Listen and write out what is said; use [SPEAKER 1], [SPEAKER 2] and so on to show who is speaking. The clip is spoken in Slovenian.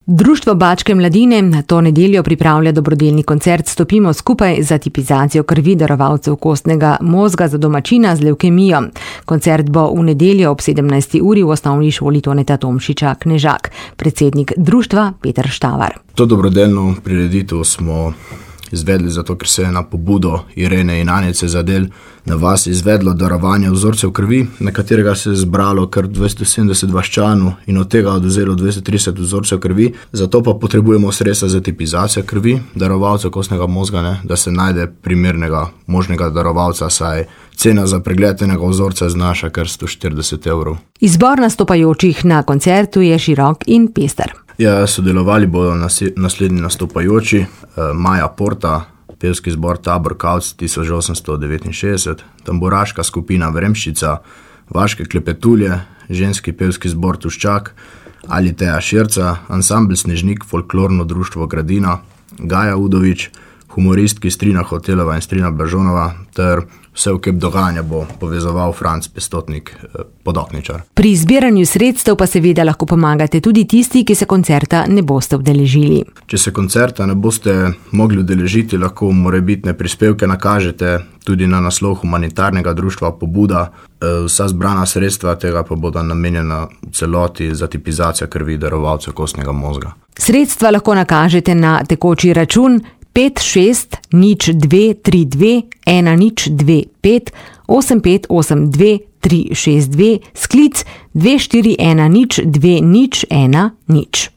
[SPEAKER 1] Društvo Bačke mladine na to nedeljo pripravlja dobrodelni koncert Stopimo skupaj za tipizacijo krvi darovalcev kostnega mozga za domačina z levkemijo. Koncert bo v nedeljo ob 17. uri v osnovni šoli Toneta Tomšiča Knežak. Predsednik društva Peter Štavar.
[SPEAKER 2] To dobrodelno prireditev smo izvedli zato, ker se je na pobudo Irene in Anice Zadel na vas izvedlo darovanje vzorcev krvi, na katerega se je zbralo kar 270 vaščanov in od tega odvzelo 230 vzorcev krvi. Zato pa potrebujemo sredstva za tipizacijo krvi darovalcev kostnega mozga, da se najde primernega možnega darovalca, saj cena za pregled enega vzorca znaša kar 140 evrov.
[SPEAKER 1] Izbor nastopajočih na koncertu je širok in pester.
[SPEAKER 2] Sodelovali bodo naslednji nastopajoči: Maja Porta, pevski zbor Tabor Kavc 1869, tamburaška skupina Vremščica, Vaške klepetulje, ženski pevski zbor Tuščak, Aliteja Širca, ansambl Snežnik, folklorno društvo Gradina, Gaja Udovič, humoristki Strina Hotelova in Strina Blažonova ter vse v kep dogajanja bo povezoval Franc Pestotnik, Podokničar.
[SPEAKER 1] Pri zbiranju sredstev pa seveda lahko pomagate tudi tisti, ki se koncerta ne boste udeležili.
[SPEAKER 2] Če se koncerta ne boste mogli udeležiti, lahko morebitne prispevke nakažete tudi na naslov humanitarnega društva Pobuda. Vsa zbrana sredstva tega pa bodo namenjena v celoti za tipizacijo krvi darovalcev kostnega mozga. Sredstva
[SPEAKER 1] lahko nakažete na tekoči račun 5-6-0-2-3-2-1-0-2-5 8582-362 sklic 241-0-2-0-1-0.